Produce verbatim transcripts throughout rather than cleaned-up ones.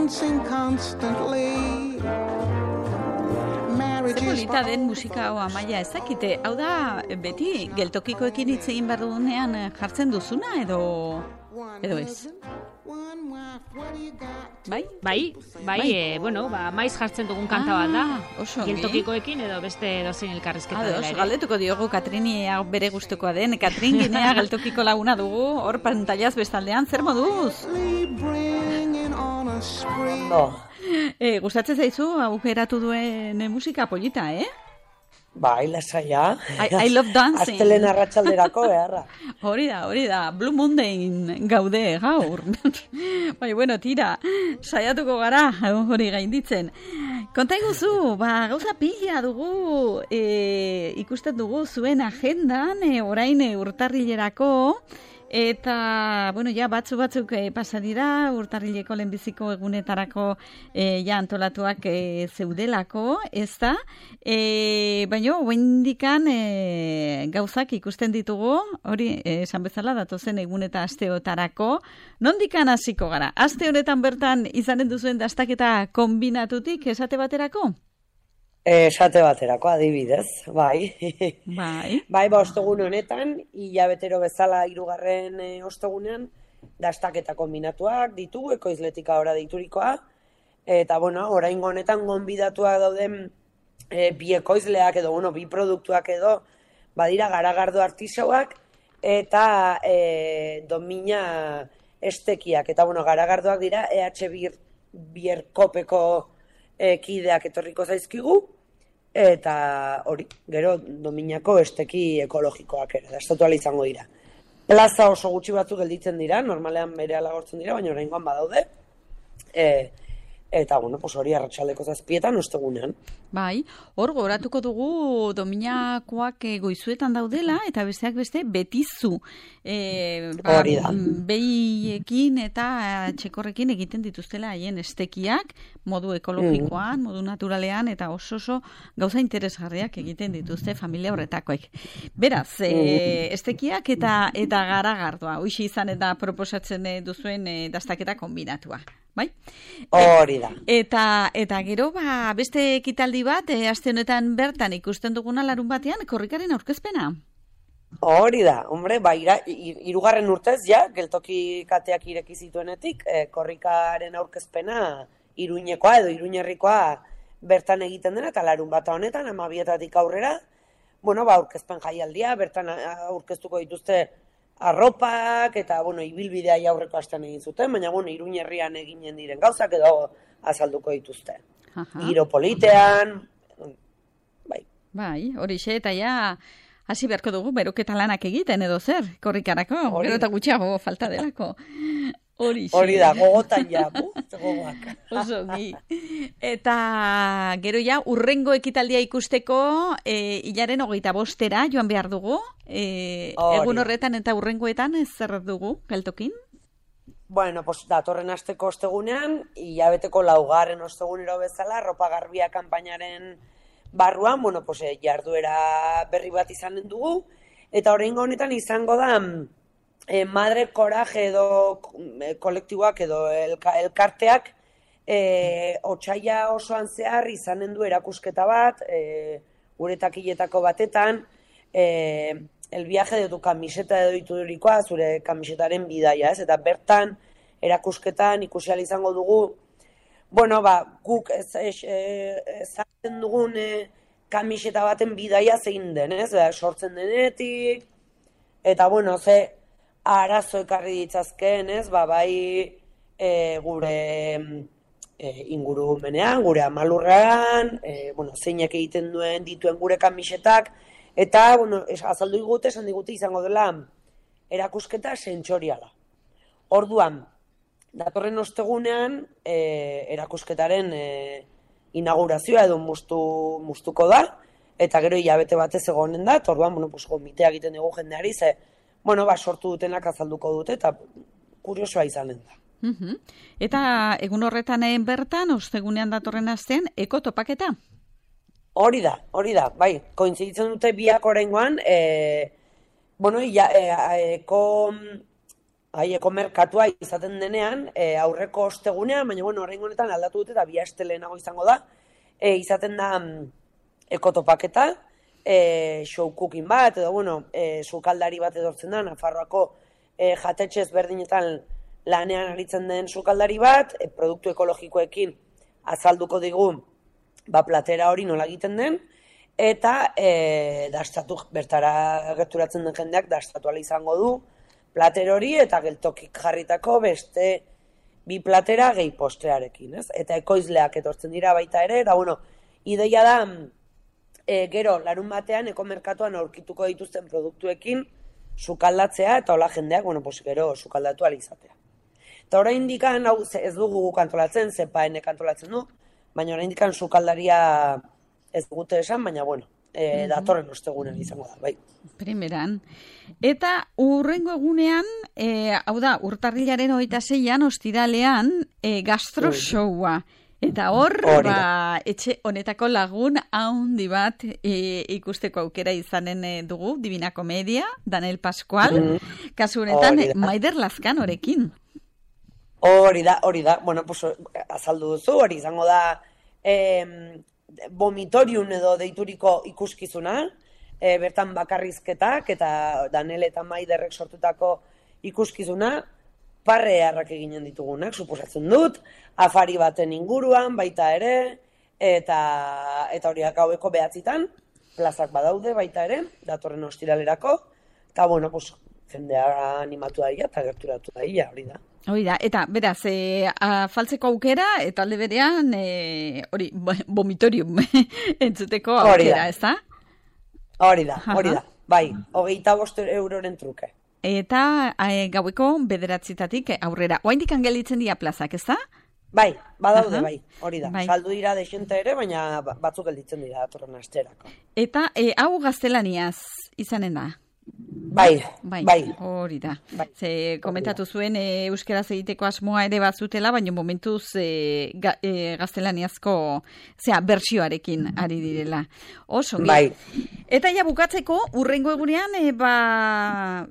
dancing constantly. Zer polita den musika hau Amaia ezakite, hau da beti geltokikoekin hitz egin behar dugunean jartzen duzuna edo edo ez? Bai? Bai, bai, e, bueno, ba, maiz jartzen dugun kanta bat da. Oso geltokikoekin edo beste dozein elkarrizketa dela ere. Galdetuko diogu Katrini bere gustukoa den. Katrin Ginea geltokiko laguna dugu, hor pantallaz bestaldean, zer moduz? No. E, gustatzen zaizu aukeratu duen musika polita, eh? Bai, lasaia. I, I love dancing. Astelen arratsalderako beharra. Hori da, hori da. Blue Monday gaude gaur. Bai, bueno, tira. Saiatuko gara hori gainditzen. Konta iguzu, ba, gauza pila dugu, e, ikusten dugu zuen agendan, e, orain e, urtarrilerako, eta, bueno, ja, batzu batzuk e, pasa dira, urtarrileko lehenbiziko egunetarako e, ja antolatuak e, zeudelako, ez da? E, baina, oendikan e, gauzak ikusten ditugu, hori, e, esan bezala, datozen egun eta asteotarako, nondikan hasiko gara? Aste honetan bertan izanen duzuen dastaketa kombinatutik, esate baterako? Esate baterako, adibidez, bai. Bai. Bai, ba, ostegun honetan, hilabetero bezala hirugarren e, ostegunean, dastaketa kombinatuak ditugu, ekoizletika ora deiturikoa, eta, bueno, oraingo honetan gonbidatuak dauden e, bi ekoizleak edo, bueno, bi produktuak edo, badira garagardo artisauak, eta e, domina estekiak, eta, bueno, garagardoak dira E H Bierkopeko e, kideak etorriko zaizkigu, eta hori, gero dominako esteki ekologikoak ere, dastatu izango dira. Plaza oso gutxi batzuk gelditzen dira, normalean berehala agortzen dira, baina oraingoan badaude. E, eta, bueno, pues hori arratsaldeko zazpietan ostegunean. Bai, hor goratuko dugu dominakoak goizuetan daudela, eta besteak beste betizu. E, ba, hori da. Behiekin eta txekorrekin egiten dituztela haien estekiak, modu ekologikoan, mm. modu naturalean, eta oso oso gauza interesgarriak egiten dituzte familia horretakoek. Beraz, mm. e, estekiak eta eta garagardoa, hoxe izan eta proposatzen duzuen e, dastaketa kombinatua. Bai? Hori da. Eta, eta gero, ba, beste ekitaldi bat, e, aste honetan bertan ikusten duguna larun batean, korrikaren aurkezpena. Hori da, hombre, ba, ira, irugarren urtez, ja, geltoki kateak ireki zituenetik, e, korrikaren aurkezpena Iruñekoa edo Iruñerrikoa bertan egiten dena, eta larun bata honetan, amabietatik aurrera, bueno, ba, aurkezpen jaialdia, bertan aurkeztuko dituzte arropak, eta, bueno, ibilbidea aurreko astean egin zuten, baina, bueno, Iruñerrian eginen diren gauzak edo azalduko dituzte. Giro politean, bai. Bai, horixe, eta ja, hasi beharko dugu, beroketa lanak egiten edo zer, korrikarako, Hori. gero eta gutxiago falta delako. Horixe. Hori da, gogotan ja, bu, gogoak. Oso, gi. Eta gero ja, urrengo ekitaldia ikusteko, e, hilaren hogeita bostera joan behar dugu, e, egun horretan eta urrengoetan ez zer dugu, geltokin? Bueno, pues datorren asteko ostegunean, hilabeteko laugarren ostegunero bezala, ropa garbia kanpainaren barruan, bueno, pues jarduera berri bat izanen dugu, eta oraingo honetan izango da eh, Madre Coraje edo eh, kolektiboak edo elka, elkarteak eh, otsaila osoan zehar izanen du erakusketa bat, eh, gure takiletako batetan, eh, el viaje de tu camiseta edo iturikoa, zure kamisetaren bidaia, ez? Eta bertan erakusketan ikusi ahal izango dugu, bueno, ba, guk ez ezatzen ez, dugun e, kamiseta baten bidaia zein den, ez? Ba, sortzen denetik, eta, bueno, ze arazo ekarri ditzazken, ez? Ba, bai e, gure e, ingurumenean, gure amalurrean, e, bueno, zeinak egiten duen dituen gure kamisetak, eta, bueno, azaldu digute, esan digute izango dela erakusketa sentsoriala. Orduan, datorren ostegunean, e, erakusketaren e, inaugurazioa edo mustu, mustuko da, eta gero hilabete batez egonen da, eta orduan, bueno, pues, gomitea egiten dugu jendeari, ze, bueno, ba, sortu dutenak azalduko dute, eta kuriosoa izanen da. Uh-huh. Eta egun horretan bertan, ostegunean datorren astean, eko topaketa? Hori da, hori da, bai, kointziditzen dute biak oraingoan, e, bueno, ja, e, eko haieko merkatua izaten denean, e, aurreko ostegunean, baina bueno, orain honetan aldatu dute eta bi aste lehenago izango da, e, izaten da mm, ekotopaketa, e, show cooking bat, edo bueno, e, sukaldari bat edortzen da, Nafarroako e, jatetxe ezberdinetan lanean aritzen den sukaldari bat, e, produktu ekologikoekin azalduko digu, ba, platera hori nola egiten den, eta e, dastatu, bertara gerturatzen den jendeak dastatu ala izango du plater hori eta geltokik jarritako beste bi platera gehi postrearekin, ez? Eta ekoizleak etortzen dira baita ere, eta bueno, ideia da e, gero larun batean ekomerkatuan aurkituko dituzten produktuekin sukaldatzea eta hola jendeak, bueno, pues gero sukaldatu ala izatea. Eta oraindik hau ez dugu kantolatzen, zepaenek kantolatzen du, baina oraindik sukaldaria ez dugute esan, baina bueno, e, datorren ostegunean izango da, bai. Primeran. Eta urrengo egunean, e, hau da, urtarrilaren hogeita seian, ostiralean, e, gastro showa. Eta hor, ba, etxe honetako lagun haundi bat e, ikusteko aukera izanen e, dugu, Divina Komedia, Daniel Pascual, mm. kasu honetan, Maider Lazkanorekin. Hori da, hori da, bueno, pues, azaldu duzu, hori izango da, eh, vomitorium edo deituriko ikuskizuna, e, bertan bakarrizketak eta Daniel eta Maiderrek sortutako ikuskizuna, parrearrak eginen ditugunak, suposatzen dut, afari baten inguruan, baita ere, eta eta horiak gaueko behatzitan, plazak badaude baita ere, datorren ostiralerako, eta bueno, pues, jendea animatu daia eta gerturatu daia, hori da. Hori da, eta beraz, e, afaltzeko aukera, eta alde berean, e, hori, vomitorium entzuteko aukera, ez da? Hori da, hori da, bai, hogeita bost euroren truke. Eta e, gaueko bederatzitatik aurrera. Oaindik angelitzen dira plazak, ez da? Bai, badaude, bai, hori da. Bai. Saldu dira desente ere, baina batzuk gelditzen dira datorren asterako. Eta e, hau gaztelaniaz izanen da? Bai, bai, bai. Hori da. Bai. Ze komentatu zuen e, euskaraz egiteko asmoa ere bazutela, baina momentuz e, ga, e, gaztelaniazko zera, bertsioarekin ari direla. Oso, bai. Eta ja bukatzeko, urrengo egunean, e, ba,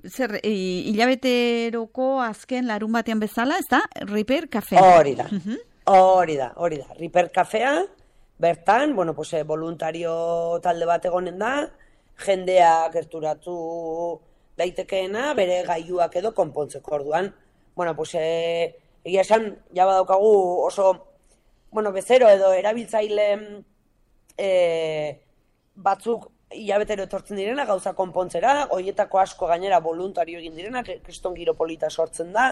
zer, e, hilabeteroko azken larun batean bezala, ez da? Riper Café. Hori da, hori da, hori da. Riper Caféa, bertan, bueno, pues, voluntario talde bat egonen da, jendea gerturatu daitekeena, bere gailuak edo konpontzeko orduan. Bueno, pues, e, egia esan, ja badaukagu oso, bueno, bezero edo erabiltzaile e, batzuk hilabetero etortzen direna, gauza konpontzera, horietako asko gainera voluntario egin direna, kriston giro polita sortzen da,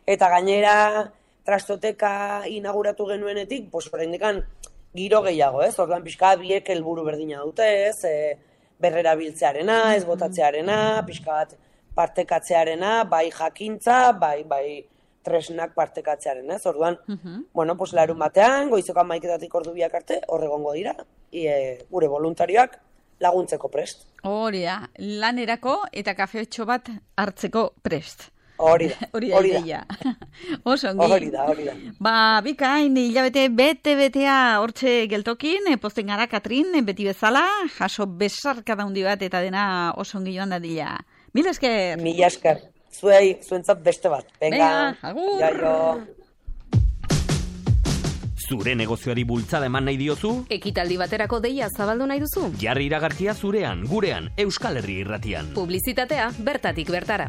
eta gainera trastoteka inauguratu genuenetik, pues, oraindikan giro gehiago, ez? Orduan pixka biek helburu berdina dute, ez? E, berrera biltzearena, ez botatzearena, pixka bat partekatzearena, bai jakintza, bai bai tresnak partekatzearena, ez? Orduan, uh-huh. bueno, pues larun batean, goizeko hamaiketatik ordu biak arte, horregongo dira, e, gure voluntarioak laguntzeko prest. Hori da, lanerako eta kafetxo bat hartzeko prest. Hori da, hori da, ideia. Oso, ongi. Hori da, hori da. Ba, bikain, hilabete bete-betea hortxe geltokin, posten gara, Katrin, beti bezala, jaso besarka daundi bat, eta dena oso ongi joan dadila. Mil esker! Mil esker. Zuei, zuentzat beste bat. Venga, agur! Jaio! Zure negozioari bultzada eman nahi diozu? Ekitaldi baterako deia zabaldu nahi duzu? Jarri iragarkia zurean, gurean, Euskal Herri irratian. Publizitatea bertatik bertara.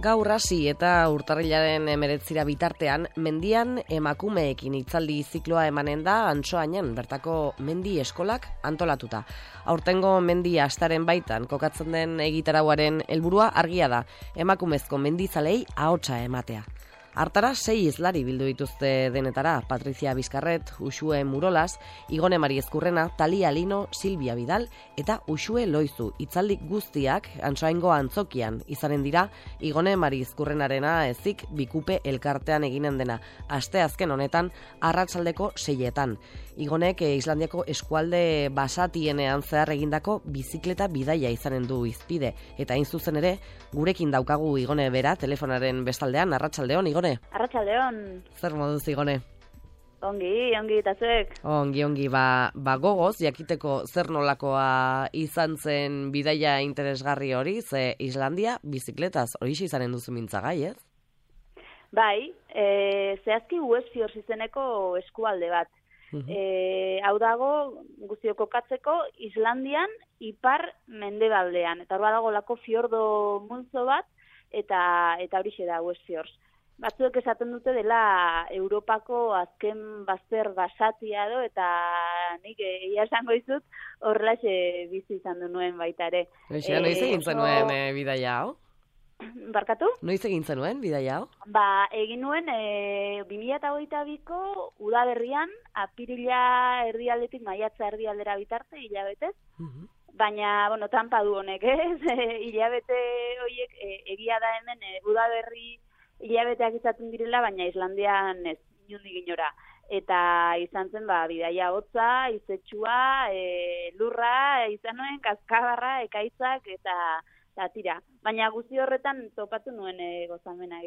Gaur hasi eta urtarrilaren hemeretzira bitartean, mendian emakumeekin hitzaldi zikloa emanen da Antsoainen bertako mendi eskolak antolatuta. Aurtengo mendi astaren baitan kokatzen den egitarauaren helburua argia da, emakumezko mendizalei ahotsa ematea. Hartara sei izlari bildu dituzte denetara, Patricia Bizkarret, Uxue Murolas, Igone Mari Ezkurrena, Talia Lino, Silvia Vidal eta Uxue Loizu. Itzaldi guztiak Antsoaingo antzokian izanen dira, Igone Mari Ezkurrenarena ezik Bikupe elkartean eginen dena. Aste azken honetan arratsaldeko seietan. Igonek eh, Islandiako eskualde basatienean zehar egindako bizikleta bidaia izanen du izpide. Eta hain zuzen ere, gurekin daukagu Igone bera telefonaren bestaldean. Arratsaldeon, Igone. Arratsaldeon. Zer moduz, Igone? Ongi, ongi eta zuek. Ongi, ongi, ba, ba gogoz, jakiteko zer nolakoa izan zen bidaia interesgarri hori, ze Islandia bizikletaz hori izanen duzu mintzagai, ez? Bai, e, zehazki Westfjords izeneko eskualde bat. E, hau dago guztio kokatzeko Islandian ipar mendebaldean. Eta hor dago lako fiordo multzo bat, eta eta horixe da Westfjords. Batzuek esaten dute dela Europako azken bazter basatia do, eta nik egia esango dizut horrelaxe bizi izan du nuen baita ere. Eixea, noiz egin zenuen e, bidaia hau? Barkatu? Noiz egin zenuen bidaia hau? Ba, egin nuen e, bi mila hogeita biko udaberrian, apirila erdialdetik maiatza erdialdera bitarte, hilabetez. Baina, bueno, trampa du honek, ez? Hilabete horiek e, egia da hemen e, udaberri hilabeteak izaten direla, baina Islandian ez, inundik inora. Eta izan zen, ba, bidaia hotza, izetsua, e, lurra, izan nuen, kaskabarra, ekaitzak, eta, eta tira. Baina guzti horretan topatu nuen e, gozamena.